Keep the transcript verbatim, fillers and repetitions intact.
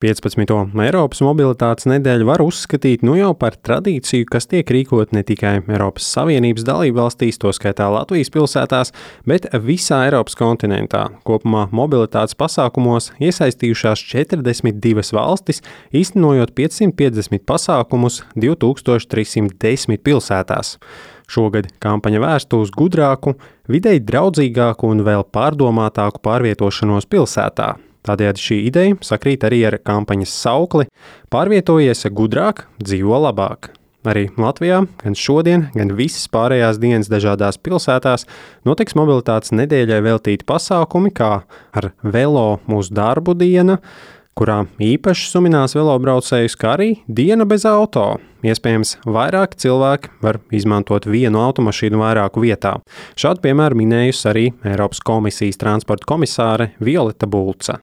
piecpadsmito Eiropas mobilitātes nedēļu var uzskatīt nu jau par tradīciju, kas tiek rīkot ne tikai Eiropas Savienības dalībvalstīs, to skaitā Latvijas pilsētās, bet visā Eiropas kontinentā. Kopumā mobilitātes pasākumos iesaistījušās četrdesmit divas valstis, īstenojot piecsimt piecdesmit pasākumus divi tūkstoši trīs simti desmit pilsētās. Šogad kampaņa vērsta uz gudrāku, videi draudzīgāku un vēl pārdomātāku pārvietošanos pilsētā. Tādējādi šī ideja sakrīt arī ar kampaņas saukli "Pārvietojies gudrāk, dzīvo labāk". Arī Latvijā gan šodien, gan visas pārējās dienas dažādās pilsētās notiks mobilitātes nedēļai veltīti pasākumi, kā ar velo mūsu darbu diena, kurā īpaši suminās velobraucējus, kā arī diena bez auto. Iespējams, vairāk cilvēki var izmantot vienu automašīnu vairāku vietā. Šādu piemēru minējusi arī Eiropas komisijas transporta komisāre Violeta Bulca.